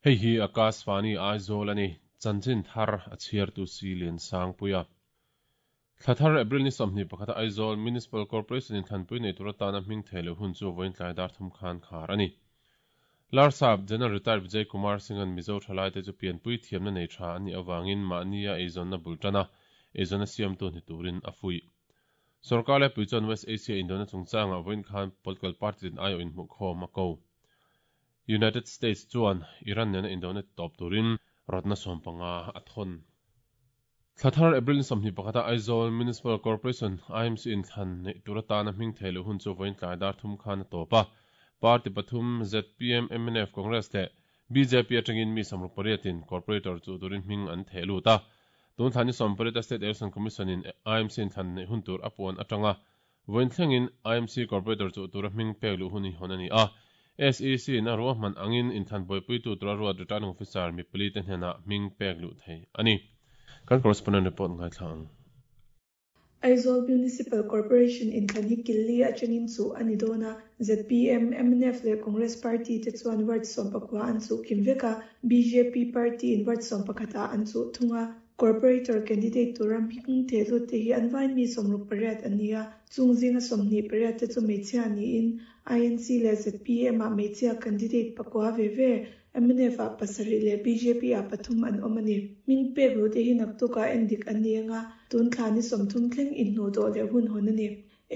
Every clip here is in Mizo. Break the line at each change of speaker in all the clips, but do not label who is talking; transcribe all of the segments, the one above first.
Hei hi Akashvani Aizawl a ni, chanchin thar a chhiartu si Liansangpuia. Thla thar April ni 21 a Aizawl Municipal Corporation in thlanpui nei tur atana hming thei loh hun chu vawiin tlai dar thum khan khar a ni. Larsap General Retired Vijay Kumar Singh-a'n Mizo thalaite chu pianpui thiamna nei tha an nih avangin mahnia eizawnna bul tana eizawnna siamtu ni turin a fuih. Sorkar laipui chuan West Asia indona chungchangah vawiin khan political party tin aiawh inhmuhkhawm a ko. United States chuan Iran nena indona titawp turin rawtna sawmpanga a thawn. Thla thar April ni 21 a Aizawl Municipal Corporation, IMC, inthlan neih tur atana hming thei loh hun chu vawiin tlai dar thum khan a tawp a. Party pathum zpm, mnf, Congress leh bjp atangin mi 68 in Corporator chu turin hming an theh lut a. Tun thla ni 18 a State Election Commission in IMC inthlan neih hun tur a puan atanga vawiin thlengin IMC Corporator chu tura hming pek luh hun hi hawn a ni a. SEC in a ruahman angin inthlan buaipuitu tura ruat Returning Officer mi pali te hnenah hming pek luh thei a ni. Kan correspondent report ngaithla ang.
Aizawl Municipal Corporation inthlan hi killi atangin chuh a ni dawn a, zpm, mnf leh Congress party te chuan ward 19 an chuh kim vek a, bjp party in ward 11 ah an chuh thung a. Corporator candidate tura hming thehlut te hi an vain mi 68 an ni a, chung zinga 28 te chu hmeichhia niin INC leh zpm ah hmeichhia candidate pakua ve ve, mnf ah pasarih leh bjp ah pathum an awm a ni. Hming pek luh te hi naktukah en dik an ni anga, tun thla ni 30 thleng inhnuh dawh leh hun hawn a ni.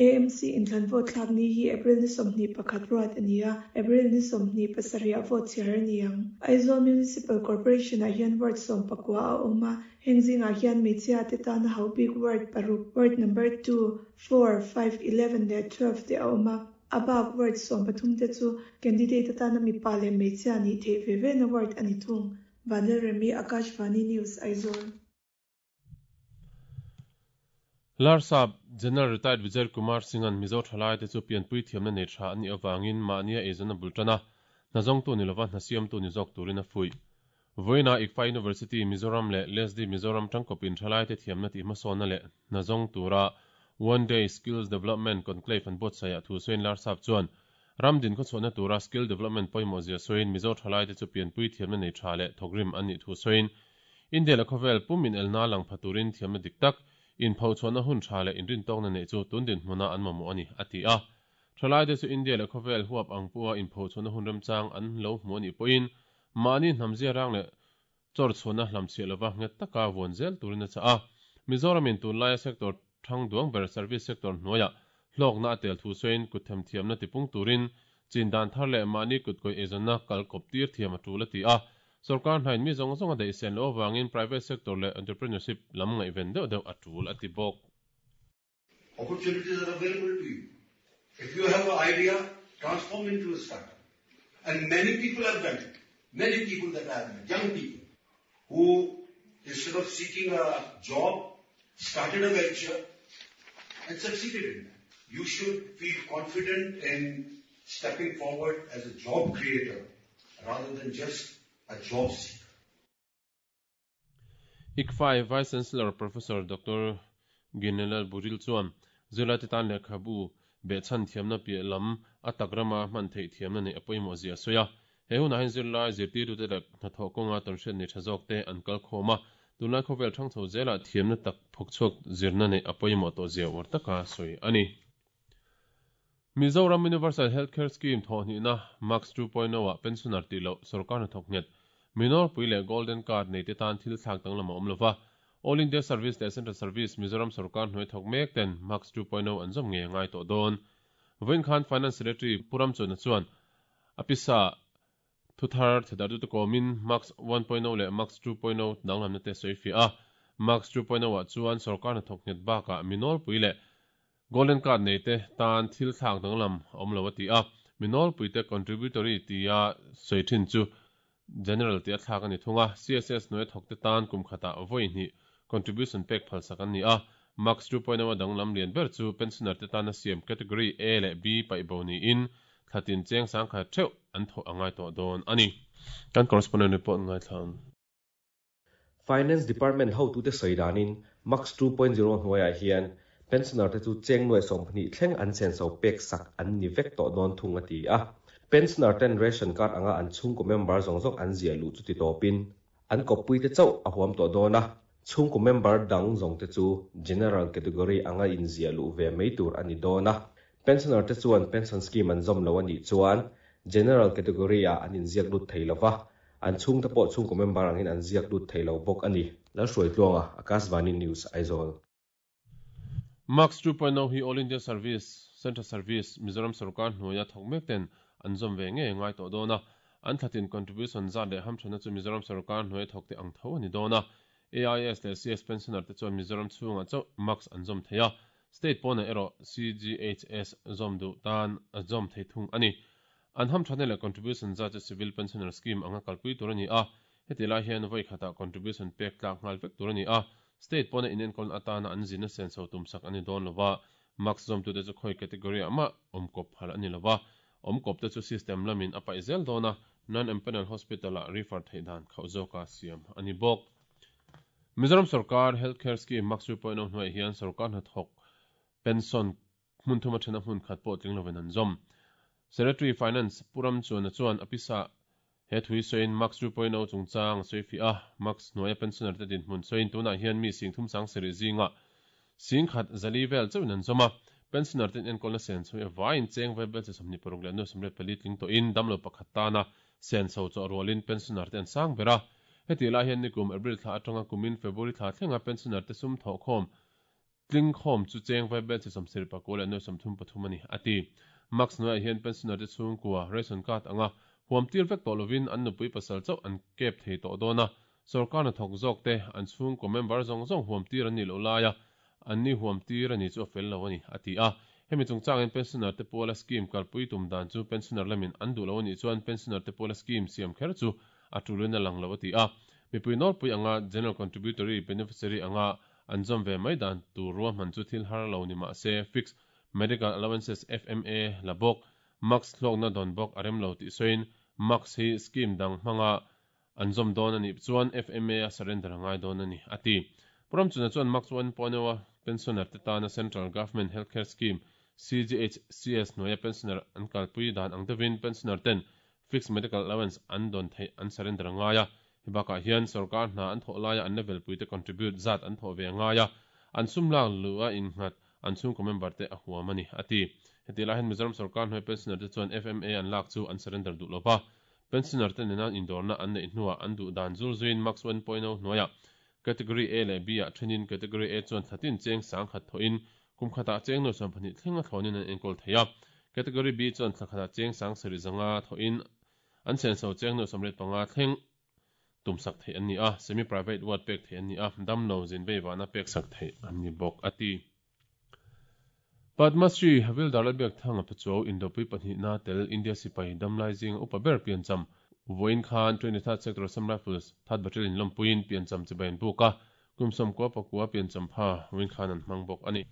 AMC inthlan vote thlak ni hi April ni 21 ruat a ni a, April ni 27 ah vote chhiar a ni ang. Aizawl Municipal Corporation ah hian ward 19 a awm a, heng zingah hian hmeichhia te tana hauh bik ward paruk, ward number 2, 4, 5, 11 leh 12 te a awm a. A bak ward 13 te chu candidate atana mipa leh hmeichhia nih theih ve ve na ward a ni thung. Vanlalremi, Akashvani News, Aizawl.
Larsap General Retired Vijay Kumar Singh-a'n Mizo thalaite chu pianpui thiamna nei tha an nih avangin mahnia eizawnna bul tan a, hna zawngtu ni lova hna siamtu ni zawk turin a fuih. Vawiina ICFAI University Mizoram leh LESDI Mizoram tangkawpin thalaite thiamna tih hmasawnna leh hna zawng tura One Day Skills Development Conclave an buatsaih ah thu sawiin Larsap chuan ram din khawchhuahna tura skill development pawimawh zia sawiin Mizo thalaite chu pianpui thiamna nei tha leh thawkrim an nih thu sawiin India leh khawvel pum inelna lang pha turin thiamna dik tak, inphochhuahna hun tha leh inrintawkna neih chu tun dinhmuna an mamawh a ni, a ti a. Thalaite chu India leh khawvel huap ang pawha inphochhuahna hun remchang an lo hmu a nih pawhin mahni hnamzia rang leh chawrchhuahna hlamchhiah lova nghet taka vuan zel turin a chah a. Mizoramin tunlaia sector thang duang ber service sector hnuaiah hlawkna a tel thu sawiin kut themthiamna tipung turin chin dan thar leh mahni kutkawih eizawnna kal kawp tir thiam a tul a ti a. Sorkar hnain mi zawng zawng a daih sen loh avangin private sector leh entrepreneurship lam ngaihven deuh deuh a tul a ti bawk.
Opportunities are available to you. If you have an idea, transform into a startup. And many people have done it. Many people that I have met, young people, who instead of seeking a job, started a venture and succeeded in that. You should feel confident in stepping forward as a job creator rather than just a job seeker.
ICFAI Vice Chancellor Professor Dr. Ginelal Buril chuan zirlaite tan lehkhabu behchhan thiamna piah lam a tak rama hman theih thiamna neih a pawimawh zia a sawi a. He hunah hian zirlai zirtirtute leh hnathawh kawnga tawnhriat nei tha zawk te an kal khawm a, tunlai khawvel thang chho zelah thiamna tak phawkchhuak zirna neih a pawimawh tawh zia uar taka sawi a ni. Mizoram Universal Health Care Scheme thawhhnihna MAX 2.0 ah pensioner tih loh sorkar hnathawk nghet Minorpui leh Golden Card nei te tan thil thlak danglam a awm lova. All India Service leh Central Service Mizoram sorkar hnuai thawk mek ten MAX 2.0 an zawm ngei a ngai tawh dawn. Vawiin khan Finance Secretary Pu Ramchuna chuan a pisa thuthar thedar tu te kawmin MAX 1.0 leh MAX 2.0 danglamna te sawi fiah a. MAX 2.0 ah chuan sorkar hnathawk nghet bakah Minorpui leh Golden Card nei te tan thil thlak danglam a awm lo a ti a, mi nawlpui te contributory tia sawi thin chu General tia thlak a ni thung a, CSS hnuai thawk te tan kum khatah vawi hnih contribution pek phalsak an ni a, Max 2.0 a danglam lian ber chu pensioner te tana siam category A leh B paih bo niin thlatin cheng sangkhat theuh an thawh a ngai tawh dawn a ni. Kan correspondent report ngaithla ang.
Finance Department hotute sawi danin Max 2.0 hnuaiah hian pensioner te chu cheng nuai 12 thleng an senso pek sak an ni vek tawh dawn thung a ti a. Pensioner ten ration card anga an chhungkaw member zawng zawng an ziah luh chu ti tawpin an kawppuite chauh a huam tawh dawn a, chhungkaw member dang zawngte chu general category anga inziah luh ve mai tur a ni dawn a. Pensioner te chuan pension scheme an zawm lo a nih chuan general category ah an inziak lut thei lo va, an chhungte pawh chhungkaw member angin an ziak lut thei lo bawk a ni. Lalhruaitluanga, Akashvani News, Aizawl.
Max 2.0 hi All India Service, Central Service, Mizoram sorkar hnuaia thawk mek ten an zawm ve ngei a ngai tawh dawn a. An thlatin contribution zat leh hamthanna chu Mizoram sorkar hnuaia thawk te ang tho a ni dawn a. AIS leh CS pensioner te chuan Mizoram chhungah chauh Max an zawm thei a. State pawnah erawh CGHS zawm duh tan a zawm thei thung a ni. An hamthanna leh contribution zat chu Civil Pensioner Scheme anga kalpui tur a ni a. Heti lai hian vawi khatah contribution pek tlak nghal vek tur a ni a, state pawna inenkawlna atana an zinna senso tumsak a ni dawn lo va, max zawmtute chu khawi category ah mah awmkawp phal a ni lo va, awmkawpte chu system lamin a paih zel dawn a, non-empanel hospital ah refer theih dan khauh zawka siam a ni bawk. Mizoram sorkar Health Care Scheme Max 2.0 hnuaiah hian sorkar hnathawk pension hmun thuma thena hmun khat pawh tling lovin an zawm. Secretary Finance Pu Ramchuana chuan a pisa he thui sawiin Max 2.0 chungchang a sawi fiah a, Max hnuaia pensioner te dinhmun sawiin tunah hian mi sing thum sang sarih zingah sing khat zali vel chauhin an zawm a, pensioner ten enkawlna sen chhui avaiin cheng vel belche 26 leh nu 84 tling tawhin damlo pakhat tana senso chawh rualin pensioner te an sang ber a. Hetih lai hian nikum April thla atanga kumin February thla thlenga pensioner te sum thawhkhawm Tlingkhawm chu cheng vai belche 74 leh nuai 33 a ni, a ti. Max hnuaiah hian pensioner te chhungkua ration card anga huam tir vek tawh lovin an nupui pasal chauh an kep thei tawh dawn a, sorkar hnathawk zawk te an chhungkaw member zawng zawng huam tir an nih loh laia an ni huam tir a ni chu a fel lo a ni, a ti a. Hemi chungchangin pensioner te puala scheme kalpui tum dan chu pensioner lamin an duh lo a nih chuan pensioner te puala scheme siam kher chu a tulin a lang lo a ti a. Mipui nawlpui anga general contributory beneficiary anga An zawm ve mai dan tur ruahman chu thil har lo ni mah se Fixed Medical Allowances, FMA, la bawk, Max hlawkna dawn bawk a rem lo tih sawiin Max hi scheme dang hmanga an zawm dawn a nih chuan FMA a surrender a ngai dawn a ni, a ti. Pu Ramchuna chuan Max 1.0 a pensioner te tana Central Government Healthcare Scheme, CGHCS, hnuaia pensioner an kalpui dan ang deuhin pensioner ten Fixed Medical Allowance an dawn theih an surrender a ngai a, Hei bakah hian sorkar hna an thawh laia an level puite contribute zat an thawh ve a ngai a, an sum lak luh a innghat an chhungkaw member te a huam a ni, a ti. Hetih lai hian Mizoram sorkar hnuai pensioner te chuan FMA an lak chu an surrender duh lo va, pensioner te nena indawrna an neih hnuah an duh dan zul zuiin Max 1.0 hnuaiah Category A leh B ah thenin Category A chuan thlatin cheng sangkhat thawhin kum khatah cheng nuai 12 thlenga thlawnin an enkawl thei a, Category B chuan thla khatah cheng sang sarih zanga thawhin An senso cheng nuai 85 thleng tumsak theih an ni a, semi private ward pek theih an ni a, damlo zin veivahna peksak theih an ni bawk, a ti. Padma Shri Havildar Lalbiakthanga Pachuau Indopui pahnihna tel India sipai damlai zinga upa ber piancham vawiin khan 23rd Sector Assam Rifles Third Battalion lawmpuiin piancham chibai an buk a, kum 99 piancham pha vawiin khan an hmang bawk a ni.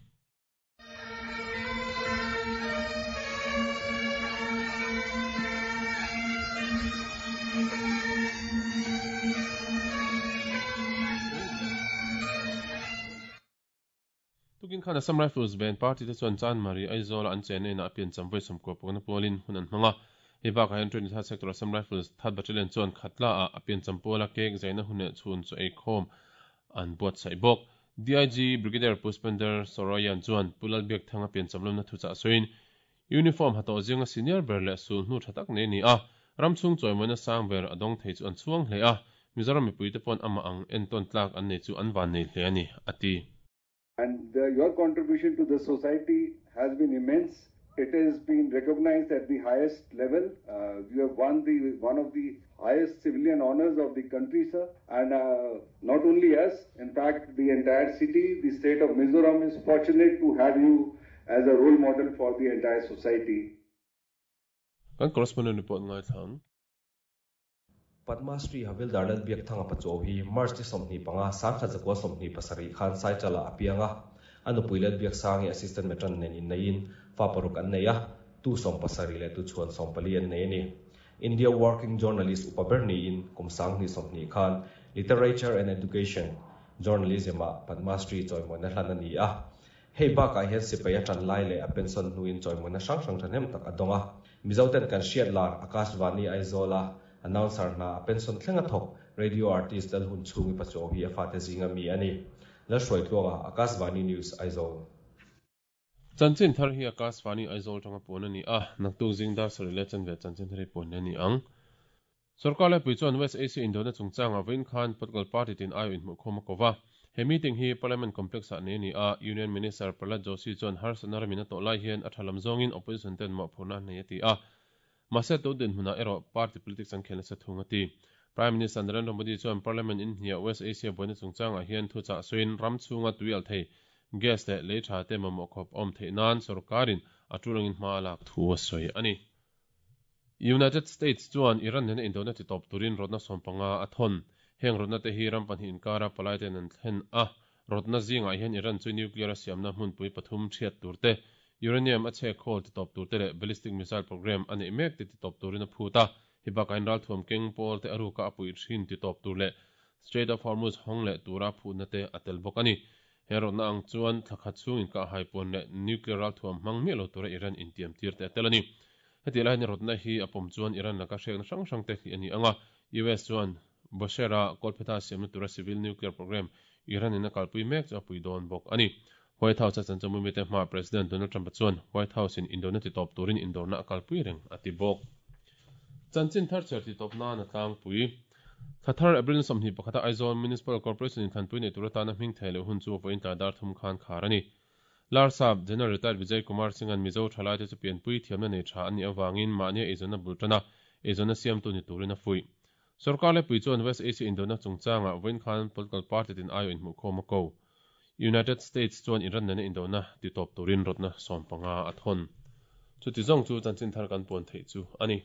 Tukin khan Assam Rifles Band Party te chuan Chanmari, Aizawl-a an chenna inah a piancham vawi 90 pakna pualin hun an hmang a. Hei bakah hian 23rd Sector Assam Rifles Third Battalion chuan Khatla-ah a piancham puala cake zaina hun leh chhun chu eikhawm an buatsaih bawk. DIG Brigadier Pushpender Soroyan chuan Pu Lalbiakthanga piancham lamna thuchah sawiin, Uniform ha tawh zinga senior ber leh sulhnu tha tak nei a ni a, ram chhung chawimawina sang ber a dawng thei chu an chhuang hle a, Mizoram mipuite paw'n amah ang entawn tlak an nei chu an van nei hle a ni, a ti.
And your contribution to the society has been immense. It has been recognized at the highest level. You have won the one of the highest civilian honors of the country, sir. And not only us, in fact, the entire city, the state of Mizoram is fortunate to have you as a role model for the entire society.
Kan correspondent report ngaithla ang.
Padma Shri Havildar Lalbiakthanga Pachuau hi March ni 25, 1927 khan Saichalah a piang a. A nupui Lalbiaksangi Assistant Matron nen inneiin fa paruk an nei a, tu 70 leh tu chhuan 14 an nei a ni. India Working Journalist upa ber niin kum 2020 khan Literature and Education, Journalism-ah Padma Shri chawimawina hlan a ni a. Hei bakah hian sipai a tan lai leh a pension hnuin chawimawina hrang hrang thahnem tak a dawng a. Mizoten kan hriat lar Akashvani Aizawl-a announcer hna a pension thleng a thawk radio artist Lalhunchhungi Pachuau hi a fate zinga mi a ni. Lalhruaitluanga, Akashvani News, Aizawl.
Chanchin thar hi Akashvani Aizawl tanga puan a ni a, naktuk zing dar sarih leh chanve chanchin thar hi puan leh a ni ang. Sorkar laipui chuan West Asia indawhna chungchangah vawiin khan political party tin aiawh inhmuhkhawm a ko va. He meeting hi Parliament Complex-ah nei a ni a, Union Minister Prahlad Joshi chuan harsatna ramin a tawh lai hian a tha lam zawngin opposition ten mawhphurhna an nei a ti a. Mahse tun dinhmunah erawh party politics an khel nasa thung a ti. Prime Minister Narendra Modi chuan Parliament inhniah West Asia buaina chungchangah hian thuchah sawiin ram chhunga tui al thei gas leh lei tha te mamawh khawp a awm theih nan sorkarin a tul angin hma a lak thu a sawi a ni. United States chuan Iran nena indona ti tawp turin rawtna sawmpanga a thawn. Heng rawtna te hi ram pahnih inkara palai ten an thlen a. Rawtna zingah hian Iran chu nuclear a siamna hmunpui pathum thiat tur te, uranium a chhek khawl ti tawp tur te leh ballistic missile program a neih mek te ti tawp turin a phut a. Hi bakah hian ralthuam keng pawl te a ruka a puih thin ti tawp tur leh Strait of Hormuz hawng leh tura phutna te a tel bawk a ni. He rawtna ang chuan thla khat chhung inkahhai puan leh nuclear ralthuam hmang miah lo tura Iran intiam tir te a tel a ni. Hetiang lai hian rawtna hi a pawm chuan Iran laka hriakna hrang hrang te hlih a ni ang a, US chuan Bushehr-a kawlphetha siamna tura civil nuclear program Iran in a kalpui mek chu a pui dawn bawk a ni. White House a chanchamui mite hmaah President Donald Trump-a chuan White House in indona titawp turin indawrna a kalpui reng a ti bawk. Chanchin thar chhiar titawp nan a tlangpui. Thla thar April ni 21 a Aizawl Municipal Corporation in thlanpui nei tur atana hming thei loh hun chu vawiin tlai dar thum khan khar a ni. Larsap, General Retired Vijay Kumar Singh-a'n Mizo thalaite chu pianpui thiamna nei tha an nih avangin mahnia eizawnna bul tana eizawnna siamtu ni turin a fuih. Sorkar lepui chuan West Asia indona chungchangah vawiin khan political party tin aiawh inhmuhkhawm a ko. United States chuan Iran nena indona titawp turin rawtna 15 a thawn. Chuti zawng chu chanchin thar kan puan theih chu a ni.